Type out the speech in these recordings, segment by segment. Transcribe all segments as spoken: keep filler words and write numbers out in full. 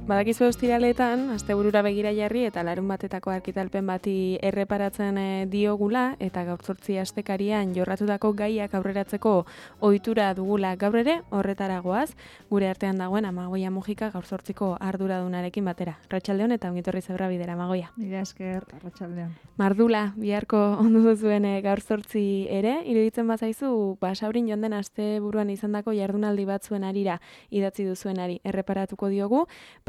Badakizu ostiraletan, asteburura begira jarri eta larun batetako argitalpen bati erreparatzen e, diogula eta gaur zortzi astekarian jorratutako gaiak aurreratzeko ohitura dugula gaur ere horretaragoaz, gure artean dagoen Amagoia Mujika gaur zortziko arduradunarekin batera. Arratsaldeon eta ongitorri zebra bidera, Amagoia. Mila esker, arratsaldeon. Mardula, biharko ondo duzuen e, gaur zortzi ere, iruditzen bazaizu, Basaurin joan den asteburuan izandako jardunaldi batzuen arira idatzi duzuenari erreparatuko diogu,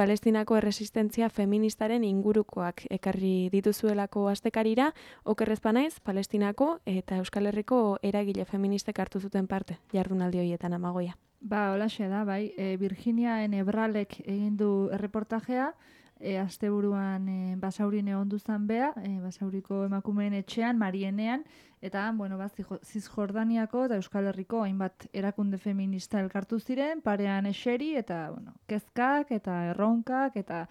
Palestinako erresistentzia feministaren ingurukoak ekarri dituzuelako astekarira, okerrez banaiz, Palestinako eta Euskal Herriko eragile feministek hartu zuten parte jardunaldi horietan, Amagoia. Ba, holaxe da, bai, e, Virginia Enebralek egin du erreportajea, e, asteburuan e, Basaurin egon duzan bea, e, Basauriko emakumeen etxean, Marienean, eta, bueno, ba, Zizjordaniako eta Euskal Herriko hainbat erakunde feminista elkartu ziren, parean eseri, eta, bueno, kezkak eta erronkak, eta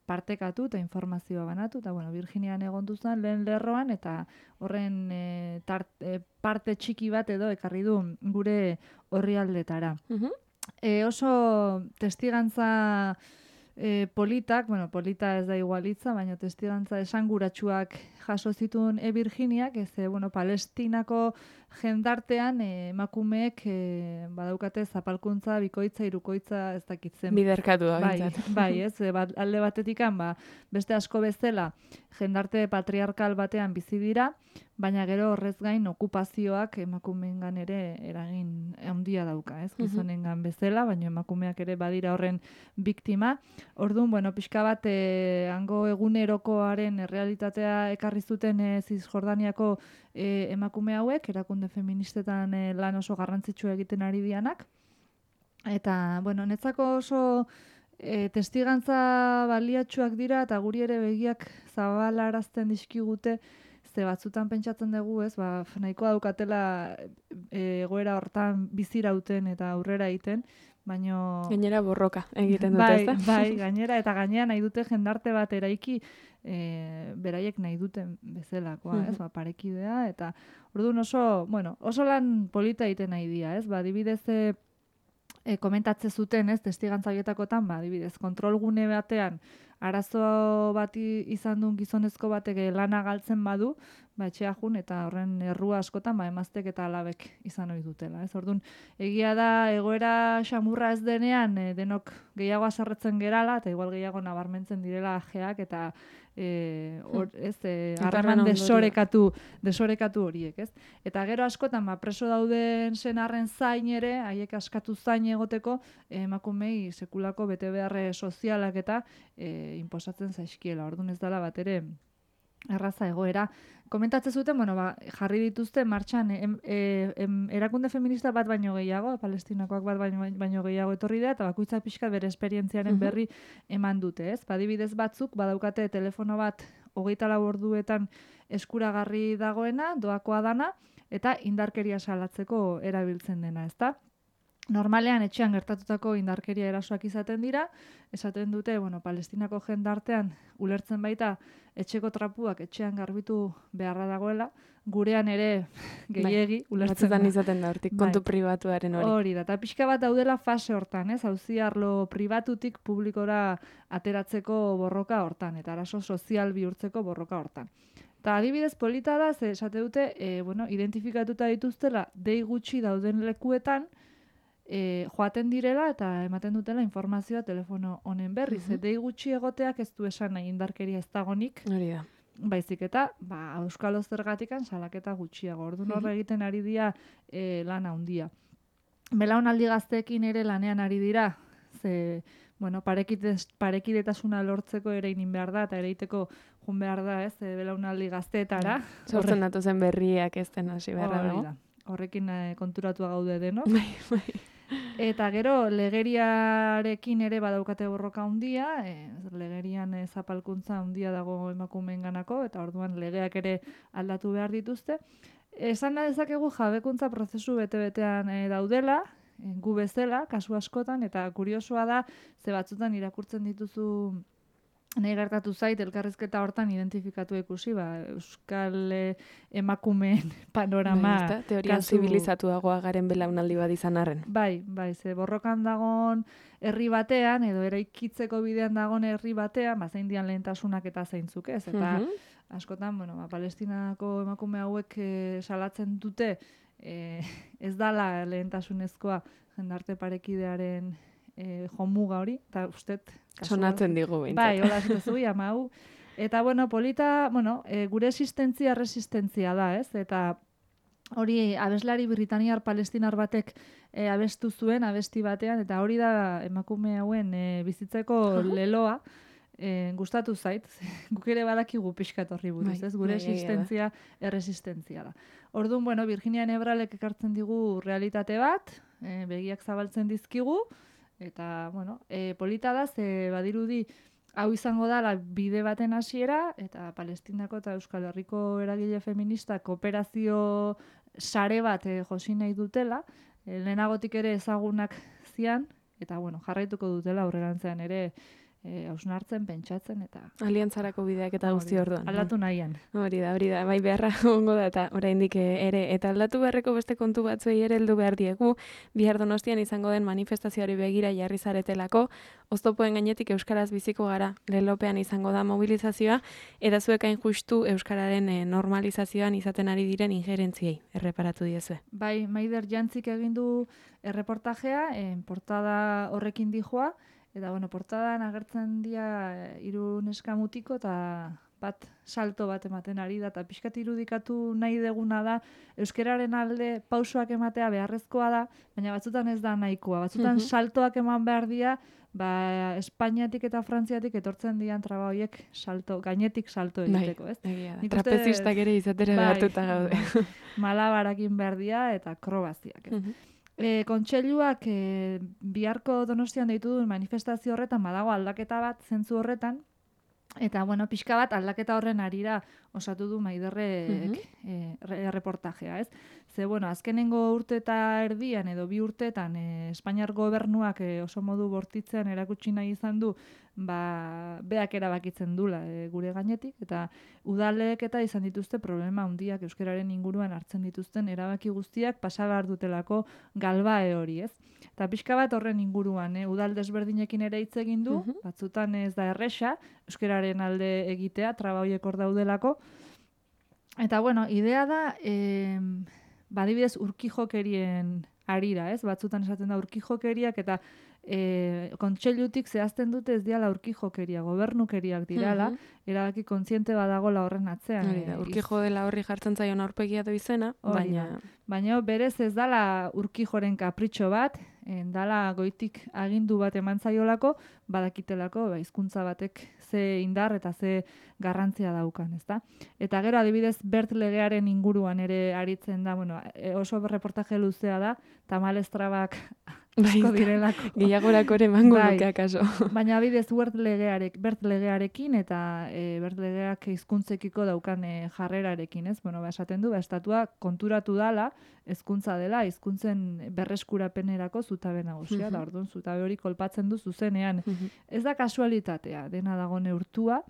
partekatu eta informazioa banatu, eta, bueno, Virginian egon duzan lehen lerroan, eta horren e, tart, e, parte txiki bat edo ekarri du gure orrialdetara. Uh-huh. E, oso testigantza e, politak, bueno, polita ez da igualitza, baina testigantza esanguratsuak jaso zituen e Virginiak, ez, e, bueno, Palestinako jendartean e, emakumeek e, badaukate zapalkuntza, bikoitza, hirukoitza, ez dakitzen. Biderkatu da, bai, bai, ez, e, bat, alde batetikan, ba, beste asko bezala, jendarte patriarkal batean bizi dira, baina gero horrez gain okupazioak emakumeengan ere eragin handia dauka, ez? Gizonengan bezala, baina emakumeak ere badira horren biktima. Orduan, bueno, pixka bat e, hango egunerokoaren errealitatea ekarri zuten e, Zizjordaniako e, emakume hauek, erakunde feministetan e, lan oso garrantzitsu egiten ari dianak. Eta, bueno, netzako oso e, testigantza baliatsuak dira eta guri ere begiak zabalarazten dizkigute, ze batzutan pentsatzen dugu, ez, ba, nahiko daukatela e, egoera hortan bizirauten eta aurrera egiten, baino... Gainera borroka egiten dute, bai, ezta? Bai, gainera, eta gainera nahi dute jendarte bat eraiki, e, beraiek nahi duten bezalakoa, uh-huh. ez, ba, parekidea, eta orduan oso, bueno, oso lan polita egiten nahi dira, ez, ba, adibidez, e, e, komentatze zuten, ez, testigantza horietakotan, ba, adibidez, kontrolgune batean, arazo bati izan duen gizonezko batek lana galtzen badu, ba, etxea jun, eta horren errua askotan, ba, emaztek eta alabek izan ohi dutela. Ez? Orduan, egia da, egoera xamurra ez denean, e, denok gehiago azarretzen gerala, eta igual gehiago nabarmentzen direla ajeak, eta e, or, ez, e, harreman desorekatu, desorekatu horiek. Ez? Eta gero askotan, ba, preso dauden senarren zain ere, haiek askatu zain egoteko, emakumei sekulako bete beharre sozialak eta e, inposatzen zaizkiela. Orduan ez dela bat ere erraza egoera. Komentatzen zuten, bueno, ba, jarri dituzte martxan em, em, erakunde feminista bat baino gehiago, palestinakoak bat baino, baino gehiago etorri da, eta bakoitza pixka bere esperientziaren berri eman dute, ez? Badibidez batzuk, badaukate telefono bat hogeita lau orduetan eskuragarri dagoena, doakoa dana, eta indarkeria salatzeko erabiltzen dena, ezta? Normalean etxean gertatutako indarkeria erasoak izaten dira, esaten dute, bueno, Palestinako jendartean ulertzen baita etxeko trapuak etxean garbitu beharra dagoela, gurean ere gehiegi bai, ulertzen da. Izaten da, hortik kontu bai. Pribatuaren hori. Hori da, eta pixka bat daudela fase hortan, ez? Auzi arlo pribatutik publikora ateratzeko borroka hortan, eta arazo sozial bihurtzeko borroka hortan. Eta adibidez polita da, ze esate dute, e, bueno, identifikatuta dituztela dei gutxi dauden lekuetan, E, joaten direla eta ematen dutela informazioa telefono honen berri. Uh-huh. Dei gutxi egoteak ez du esan nahi indarkeria ez dagonik. Hori da. Baizik eta, ba, euskal zergatikan salaketa gutxiago. Orduan horre egiten ari dira e, lan handia. Belaunaldi gazteekin ere lanean ari dira. Ze, bueno, parekidetasuna lortzeko ere inin behar da, eta ere iteko jun behar da, ez, e, belaunaldi gazteetara. Sortzen datuzen berriak ez den hasi beharra dago. Horrekin e, konturatua gaude deno. Bai, bai. Eta gero, legeriarekin ere badaukate borroka handia, e, legerian e, zapalkuntza handia dago emakumeenganako, eta orduan legeak ere aldatu behar dituzte. Esan da dezakegu jabekuntza prozesu bete-betean e, daudela, e, gu bezala, kasu askotan, eta kuriosoa da, ze batzutan irakurtzen dituzu nahi gertatu zait, elkarrizketa hortan identifikatu ikusi, ba, euskal eh, emakumeen panorama. Bai, ezta? Teorian kasu- zibilizatuagoa garen belaunaldi bat izan arren. Bai, bai, ze borrokan dagon herri batean, edo eraikitzeko bidean dagon herri batean, ba, zein dian lehentasunak eta zeintzuk ez, eta Mhm. askotan, bueno, ba, Palestinako emakume hauek eh, salatzen dute, eh, ez dala lehentasunezkoa jendarte parekidearen eh, jomuga hori, eta ustet... kasua- Sonatzen digu behintzat. Bai, hola zuzu, ama hau. Eta, bueno, polita, bueno, e, gure existentzia resistentzia da, ez? Eta hori abeslari britaniar palestinar batek e, abestu zuen, abesti batean, eta hori da emakume hauen e, bizitzeko leloa, e, gustatu zait, guk ere badakigu pixkat horri buruz, Bai, ez? Gure bai, egia da. existentzia erresistentzia da. Orduan, bueno, Virginia Nebralek ekartzen digu realitate bat, e, begiak zabaltzen dizkigu, eta, bueno, e, polita da, ze badirudi hau izango da la bide baten hasiera, eta Palestinako eta Euskal Herriko eragile feminista kooperazio sare bat e, josi nahi dutela, e, lehenagotik ere ezagunak zian, eta, bueno, jarraituko dutela aurrerantzean ere e, hausnartzen, pentsatzen, eta... Aliantzarako bideak eta guzti Hori, orduan. Aldatu nahian. Hori da, hori da, bai beharra ongo da, eta oraindik ere, eta aldatu beharreko beste kontu batzuei ere heldu behar diegu, bihar Donostian izango den manifestazioari begira jarri zaretelako, oztopoen gainetik euskaraz biziko gara, lelopean izango da mobilizazioa, eta zuek hain justu euskararen eh, normalizazioan izaten ari diren injerentziei, erreparatu diezue. Bai, Maider Jantzik egin du erreportajea, en portada horrekin dijoa, eta, bueno, portadan agertzen dira hiru neska mutiko eta bat salto bat ematen ari da, eta pixkat irudikatu nahi deguna da, euskararen alde pausoak ematea beharrezkoa da, baina batzutan ez da nahikoa, batzutan Mhm. saltoak eman behar dira, ba, Espainiatik eta Frantziatik etortzen dian traba horiek salto, gainetik salto egiteko, ez? Egia da. Nik uste- Trapezistak ere izatera Bai, behartuta gaude. bai. Malabarakin behar dira eta akrobaziak, ez? Mhm. E, kontseiluak e, biharko Donostian deitu duen manifestazio horretan badago aldaketa bat zentzu horretan, eta, bueno, pixka bat aldaketa horren arira osatu du Maiderrek Mhm. e, re- reportajea, ez? Ze, bueno, azkenengo urte eta erdian edo bi urteetan e, Espainiar gobernuak e, oso modu bortitzean erakutsi nahi izan du, ba, beak erabakitzen dula e, gure gainetik, eta udalek eta izan dituzte problema handiak euskararen inguruan hartzen dituzten erabaki guztiak pasa behar dutelako galbae hori, ez? Eta pixka bat horren inguruan, eh? Udal desberdinekin ere hitz egin du, Mhm. batzutan ez da erresa, euskararen alde egitea, traba horiek hor daudelako. Eta, bueno, idea da, eh, badibidez urkijokerien arira, ez? Batzutan esaten da urkijokeriak eta e, kontseilutik zehazten dute ez diala urkijokeria, gobernukeriak dirala, Mhm. erabaki kontziente badagola horren atzean. Hori da, eh, urkijo dela horri jartzen zaion aurpegia du izena, Hori baina... da. Baina berez ez dala urkijoren kapritxo bat, en dala goitik agindu bat eman zaiolako, badakitelako ba, hizkuntza batek ze indar eta ze garrantzia daukan, ezta? Eta gero adibidez Bert legearen inguruan ere aritzen da, bueno, e, oso reportaje luzea da, tamalez trabak asko direlako. Gehiagorako ere emango Bai. nuke akaso. Baina bidez Bert legearek, Bert legearekin eta e, Bert legeak hizkuntzekiko daukan e, jarrerarekin, ez? Bueno, ba, esaten du, ba, estatua konturatu dala, hezkuntza dela, hizkuntzen berreskurapenerako zutabe nagusia, Mhm. da orduan zutabe hori kolpatzen du zuzenean. Mhm. Ez da kasualitatea, dena dago neurtua,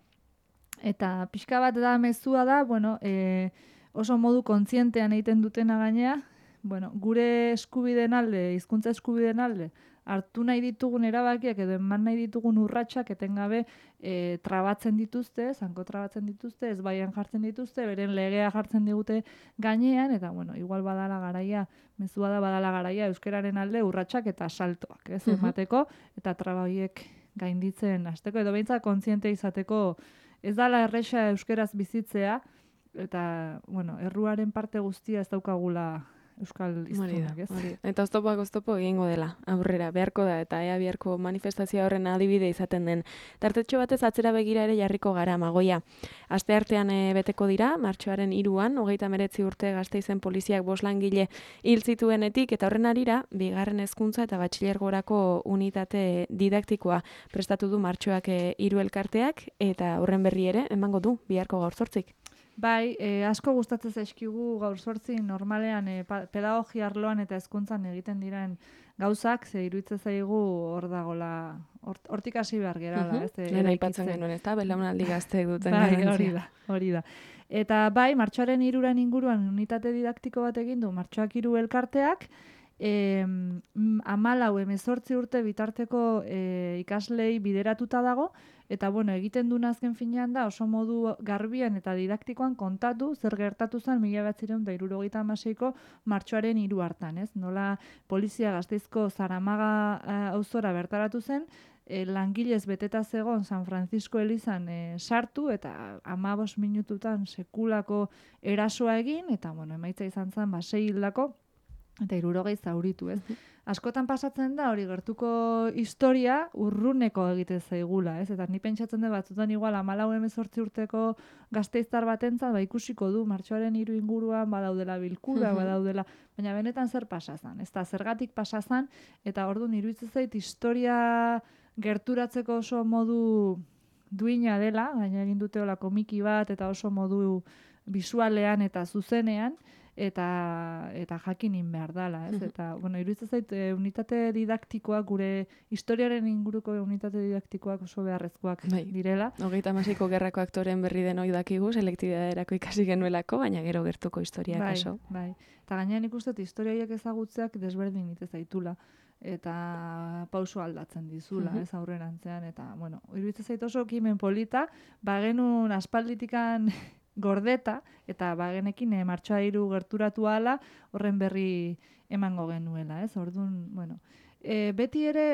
eta pixka bat da mezua da, bueno, e, oso modu kontzientean egiten dutena gainea, bueno, gure eskubideen alde, hizkuntza eskubideen alde, hartu nahi ditugun erabakiak edo eman nahi ditugun urratsak etengabe e, trabatzen dituzte, zanko trabatzen dituzte, ez baian jartzen dituzte, beren legea jartzen digute gainean, eta bueno, igual badala garaia, mezua da badala garaia euskararen alde urratsak eta saltoak, ez, Mhm. emateko, eta traba horiek gainditzen hasteko, edo behintzat kontziente izateko, ez dala erresa euskeraz bizitzea, eta, bueno, erruaren parte guztia ez daukagula euskal Hori da, hiztunak, ez? hori da. Eta oztopoak oztopo egingo dela, aurrera, beharko da, eta ea biharko manifestazioa horren adibide izaten den. Tartetxo batez atzera begira ere jarriko gara, Magoia. Asteartean e, beteko dira, martxoaren hiruan, hogeita hemeretzi urte Gasteizen poliziak bost langile hil zituenetik, eta horren arira, bigarren hezkuntza eta batxilergorako unitate didaktikoa prestatu du martxoak e, hiru elkarteak, eta horren berri ere, emango du, biharko gaur zortzik. Bai, e, asko gustatzen zaizkigu gaur zortzi normalean e, pa- pedagogia arloan eta hezkuntzan egiten diren gauzak, ze iruditzen zaigu hor dagola, hortik hasi behar gerala. Uh-huh. Lehen aipatzen genuen, ez da, belaunaldi gazteek duten bai, hori da, hori da. Eta bai, martxoaren hiruran inguruan unitate didaktiko bat egin du, martxoak hiru elkarteak, E, amalau emezortzi urte bitarteko e, ikaslei bideratuta dago, eta bueno, egiten duen azken finean da oso modu garbian eta didaktikoan kontatu zer gertatu zen mila bederatziehun eta hirurogeita hamaseiko martxoaren hiru hartan, ez? Nola polizia Gasteizko Zaramaga auzora bertaratu zen, e, langilez beteta zegon San Francisco elizan e, sartu eta hamabost minututan sekulako erasoa egin, eta bueno, emaitza izan zen ba sei hildako eta hirurogei zauritu, ez? Askotan pasatzen da hori gertuko historia urruneko egite zaigula, ez? Eta ni pentsatzen dut batzutan igual hamalau hemezortzi urteko gasteiztar batentzat ba ikusiko du martxoaren hiru inguruan badaudela bilkura, badaudela, baina benetan zer pasa zen? Ezta zergatik pasa zen, eta orduan iruditzen zait historia gerturatzeko oso modu duina dela, gaina egin dute hola komiki bat eta oso modu bisualean eta zuzenean, eta eta jakinin behar dela, ez? Eta, bueno, iruditzen zait, e, unitate didaktikoak, gure historiaren inguruko unitate didaktikoak oso beharrezkoak bai. Direla. Hogeita hamaseiko gerrako aktoren berri den hoi dakigu, selektibidaderako ikasi genuelako, baina gero gertuko historiak bai, oso. Bai, eta gainean ikusten historiaiek ezagutzeak desberdin ite zaitula, eta pauso aldatzen dizula, uh-huh. ez aurrerantzean, eta, bueno, iruditzen zait oso kimen polita, bagenun aspalditikan gordeta, eta bagenekin e, martxoa hiru gerturatu ala, horren berri emango genuela, ez? Orduan, bueno, e, beti ere,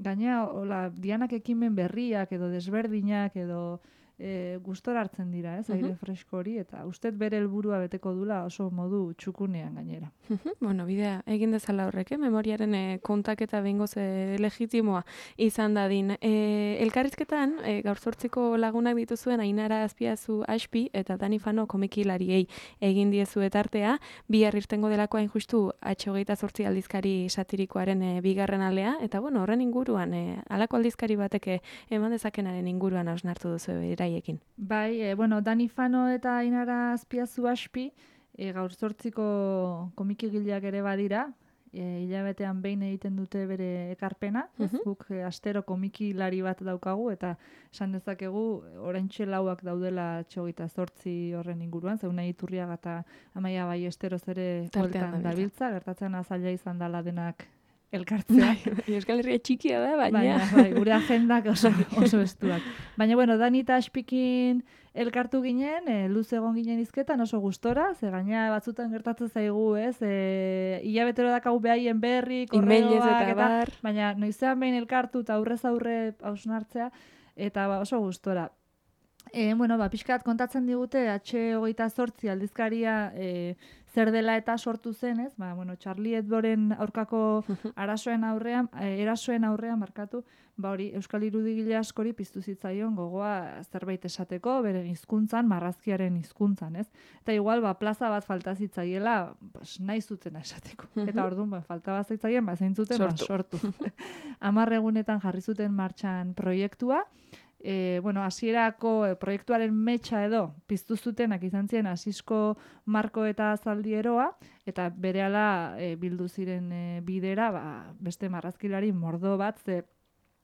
gaina, hola, dianak ekimen berriak, edo desberdinak, edo e, gustora hartzen dira, ez? Aire uh-huh. fresko hori, eta ustez bere helburua beteko dula oso modu txukunean gainera. Uh-huh. Bueno, bidea, egin dezala horrek, eh? Memoriaren e, kontaketa behingoz e, legitimoa izan dadin. E, elkarrizketan, e, gaur zortziko lagunak dituzuen Ainara Azpiazu Aspi eta Dani Fano komikilariei egin diezu etartea, bihar irtengo delako hain justu H hogeita zortzi aldizkari satirikoaren e, bigarren alea, eta bueno, horren inguruan, e, alako aldizkari bateke eman dezakenaren inguruan hausnartu duzu beraiekin. Bai, e, bueno, Dani Fano eta Ainara Azpiazu Aspi, E, gaur zortziko komikigileak ere badira, e, hilabetean behin egiten dute bere ekarpena, uh-huh. guk e, astero komikilari bat daukagu, eta esan dezakegu oraintxe lauak daudela txogita zortzi horren inguruan, zeuna Iturriaga eta Amaia Ballesteroz ere bueltan dabiltza, gertatzen azaila izan dela denak elkartzea. Euskal Herria txikia da, baina. Baina, bai, gure agendak oso, oso estuak. Baina, bueno, Dani eta Aspikin elkartu ginen, e, luz egon ginen izketan oso gustora, ze gaina batzutan gertatzen zaigu, ez, e, hilabetero dakau behaien berri, korreoak, eta, baina noizean behin elkartu eta aurrez aurre hausnartzea, eta ba, oso gustora. E, bueno, ba, pixkat kontatzen digute, H hogeita zortzi aldizkaria e, zer dela eta sortu zen, ez? Ba, bueno, Charlie Hebdoren aurkako arasoen aurrean, e, erasoen aurrean markatu, ba hori, Euskal irudigile askori piztu zitzaion gogoa zerbait esateko, bere hizkuntzan, marrazkiaren hizkuntzan, ez? Eta igual, ba, plaza bat falta zitzaiela, pues, nahi zutena esateko. Eta orduan, ba, falta bat zitzaien, ba, zein zuten, sortu. Ba, sortu. Hamar egunetan jarri zuten martxan proiektua, E, bueno, hasierako e, proiektuaren metxa edo piztu zutenak izan ziren Asisko Marko eta Zaldieroa, eta berehala e, bildu ziren e, bidera, ba, beste marrazkilari mordo bat, ze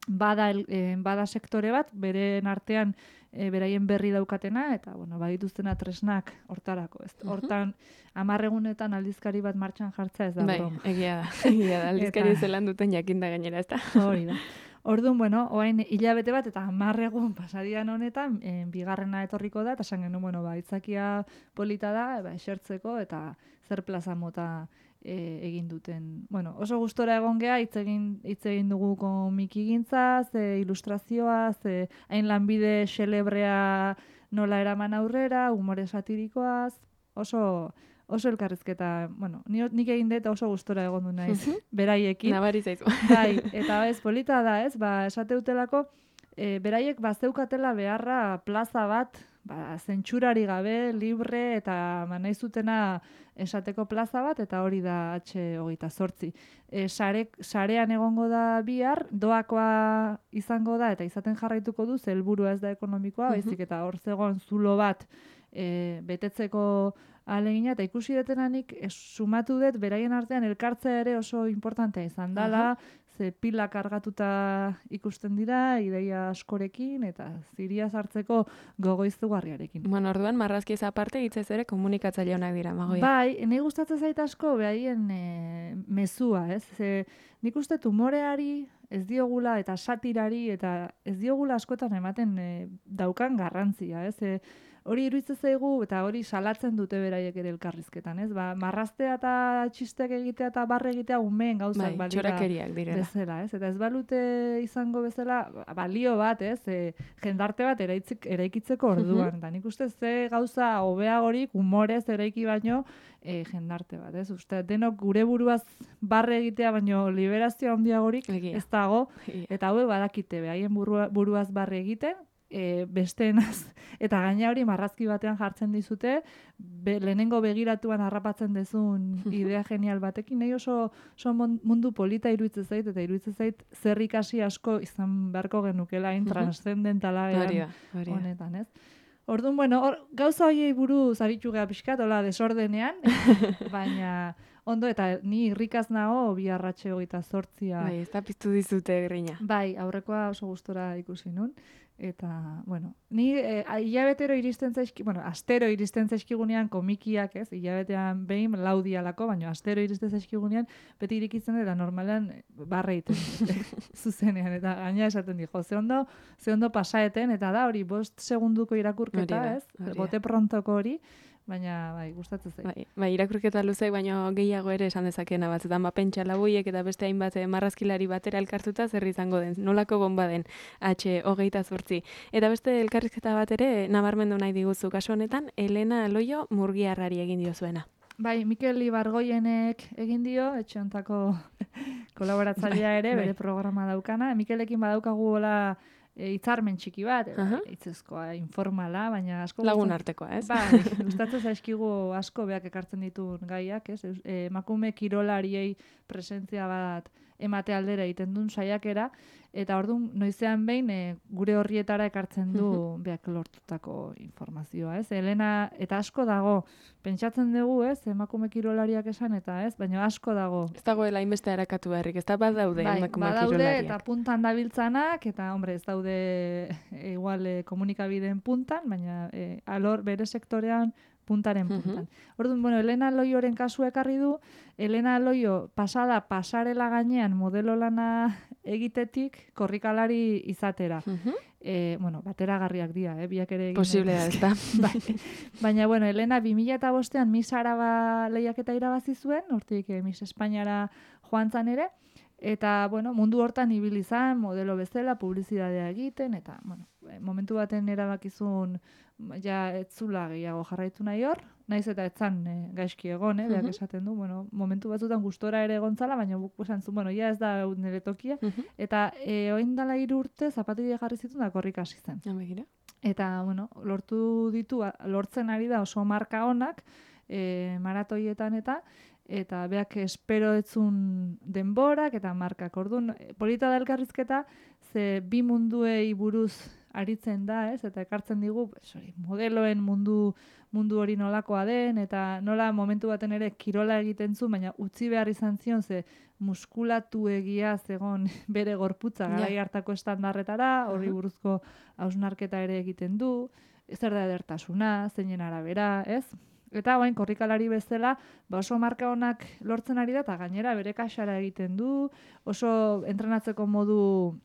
bada, e, bada sektore bat, beren artean e, beraien berri daukatena, eta bueno, badituztena tresnak hortarako, ez? Hortan, hamar egunetan aldizkari bat martxan jartza ez da. Bai, broma. Egia da, egia da, aldizkari eta... zelan duten jakinda gainera, ez da. Hori da. Orduan, bueno, oain hilabete bat eta hamar egun pasadian honetan, e, bigarrena etorriko da, eta esan genuen, bueno, ba, itzakia polita da, ba, esertzeko, eta zer plaza mota e, egin duten. Bueno, oso gustora egon geha, hitz egin, hitz egin dugu komikigintza, ze ilustrazioa, ze hain lanbide xelebrea nola eraman aurrera, umore satirikoaz, oso... Oso elkarrizketa, bueno, nik egin dut oso gustora egon du naiz, beraiekin. Nabari zaizu. Bai, eta ez, polita da, ez, ba, esateutelako, e, beraiek bazeukatela beharra plaza bat, ba, zentsurari gabe, libre, eta ba, nahi zutena esateko plaza bat, eta hori da H hogeita zortzi. E, sare, sarean egongo da bihar, doakoa izango da, eta izaten jarraituko du, ze helburua ez da ekonomikoa, baizik eta hor zegoen zulo bat, e, betetzeko alegina, eta ikusi detenanik e, sumatu dut, beraien artean elkartzea ere oso importantea izan dela, ze pila kargatuta ikusten dira, ideia askorekin, eta ziria sartzeko gogoiztugarriarekin. Bueno, orduan, marrazki ez aparte, hitzez ere komunikatzaile honak dira, Magoia. Bai, nahi gustatzen zait asko, behaien e, mezua, ez? Ze, nik uste tumoreari ez diogula, eta satirari, eta ez diogula askotan ematen e, daukan garrantzia, ez? E, hori iruditzen zaigu, eta hori salatzen dute beraiek ere elkarrizketan, ez? Ba, marraztea eta txistek egitea eta barre egitea umeen gauzak bai, txorakeriak direla. Bezala, ez? Eta ez balute izango bezala, balio bat, ez? E, jendarte bat eraitzik, eraikitzeko orduan. Da, nik uste ze gauza hobeagorik humorez eraiki baino e, jendarte bat, ez? Uste, denok gure buruaz barre egitea baino liberazio handiagorik ez dago, eta hauek badakite, behaien burua, buruaz barre egiten, E, besteenaz, eta gaina hori marrazki batean jartzen dizute, be, lehenengo begiratuan harrapatzen dezun idea genial batekin, nahi oso, oso mundu polita iruditzen zait, eta iruditzen zait zer ikasi asko izan beharko genukela, hain transcendentala honetan, ez? Orduan, bueno, or, gauza horiei buruz aritu geha pixkat, hola, desordenean, baina ondo, eta ni irrikaz nago bi arratxe hogeita zortzia. Bai, ez da piztu dizute grina. Bai, aurrekoa oso gustora ikusi nun. Eta, bueno, ni e, hilabetero iristen zaizki, bueno, astero iristen zaizkigunean komikiak, ez? Hilabetean behin laudialako, baina astero iristen zaizkigunean beti irikitzen dira normalean barre egiten zuzenean, eta gaina esaten di, jo, ze ondo, ze ondo pasaeten, eta da hori bost segunduko irakurketa, ez? Bote prontoko hori, baina, bai, gustatzen zait. Bai, bai, irakurketa luzeak, baina gehiago ere esan dezakena batzutan, ba, pentsa labuiek eta beste hainbat marrazkilari batera elkartuta zer izango den, nolako bomba den H hogeita zortzi. Eta beste elkarrizketa bat ere nabarmendu nahi diguzu, kasu honetan, Elena Loio Murgiarrari egin dio zuena. Bai, Mikel Ibargoienek egin dio, etxe hontako kolaboratzailea ere, bere programa daukana. Mikelekin badaukagu hola E, hitzarmen txiki bat, uh -huh. hitzezkoa, informala, baina asko... Lagun artekoa, ez? Ba, gustatzen zaizkigu asko beak ekartzen dituen gaiak, ez? E, emakume kirolariei presentzia bat emate aldera egiten duen saiakera, eta orduan noizean behin e, gure horrietara ekartzen du uh -huh. beak lortutako informazioa, ez? Elena, eta asko dago, pentsatzen dugu, ez? Emakume kirolariak esan, eta ez? Baina asko dago. Ez dagoela inbeste harakatu beharrik, ez da bat daude bai, emakume badaude, kirolariak. Eta puntan dabiltzanak, eta hombre, ez daude e, igual e, komunikabideen puntan, baina e, alor bere sektorean puntaren puntan. Uh-huh. Orduan, bueno, Elena Loioren kasua ekarri du, Elena Loio pasada pasarela gainean modelo lana egitetik korrikalari izatera. Uh-huh. E, bueno, bateragarriak dira, eh? Biak ere egin. Posible da, ez da. Bai. Baina, bueno, Elena bi mila bostean Miss Araba lehiaketa irabazi zuen, hortik eh, Miss Espainiara joan zan ere, eta, bueno, mundu hortan ibili izan, modelo bezala, publizidadea egiten, eta, bueno, momentu baten erabakizun, ja, etzula gehiago jarraitu nahi hor, naiz eta etzan e, gaizki egon, eh, beak esaten du, bueno, momentu batzutan gustora ere egontzala, baina buk esan zuen, bueno, ja ez da nire tokia, eta e, oin dala hiru urte zapatile jarri zituen da korrik hasi zen. Eta, bueno, lortu ditu, lortzen ari da oso marka honak, e, maratoietan eta, eta beak espero etzun denborak eta markak. Orduan, polita da elkarrizketa, ze bi munduei buruz aritzen da, ez? Eta ekartzen digu, sorry, modeloen mundu mundu hori nolakoa den, eta nola momentu baten ere kirola egiten zu, baina utzi behar izan zion, ze muskulatu egia zegon bere gorputza garai hartako estandarretara, horri buruzko hausnarketa ere egiten du, zer da edertasuna, zeinen arabera, ez? Eta bain korrikalari bezala, ba oso marka honak lortzen ari da, eta gainera bere kaxara egiten du, oso entrenatzeko modu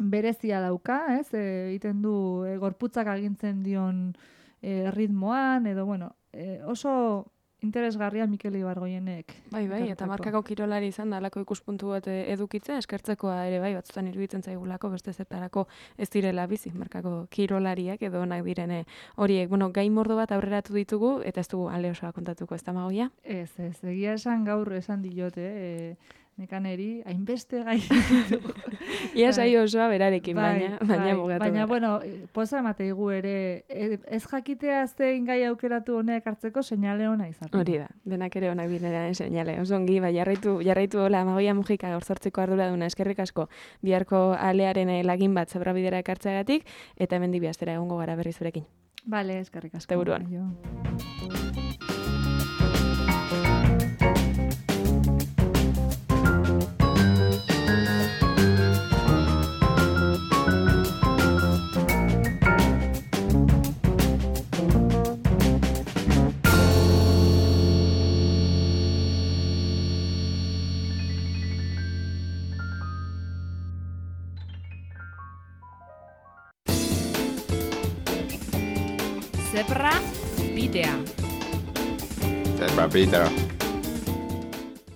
berezia dauka, ez? E, egiten du e, gorputzak agintzen dion e, ritmoan, edo bueno, e, oso interesgarria Mikel Ibargoienek. Bai, bai, eta markako kirolari izan da alako ikuspuntu bat edukitzea, eskertzekoa ere bai, batzutan iruditzen zaigulako, beste zertarako ez direla bizi, markako kirolariak edo onak direne horiek. Bueno, gai mordo bat aurreratu ditugu, eta ez dugu ale osoa kontatuko, ez da Magoia? Ez, ez, egia esan gaur esan diote, e, nekaneri, hainbeste gai ditugu. Ia saio osoa berarekin, bai, baina, baina bai, bugatu. Baina, bueno, poza emateigu ere, ez jakitea zein gai aukeratu honek hartzeko seinale ona izaten. Hori da, denak ere onak bineran seinale. Oso ongi, bai, jarraitu, jarraitu hola, Magoia Mujika gaur zortziko arduraduna, eskerrik asko, biharko alearen lagin bat zebrabidera ekartzeagatik, eta hemen dibi astera egongo gara berriz zurekin. Bale, eskerrik asko. Teburuan. Zebra bidea. Zebra bidea.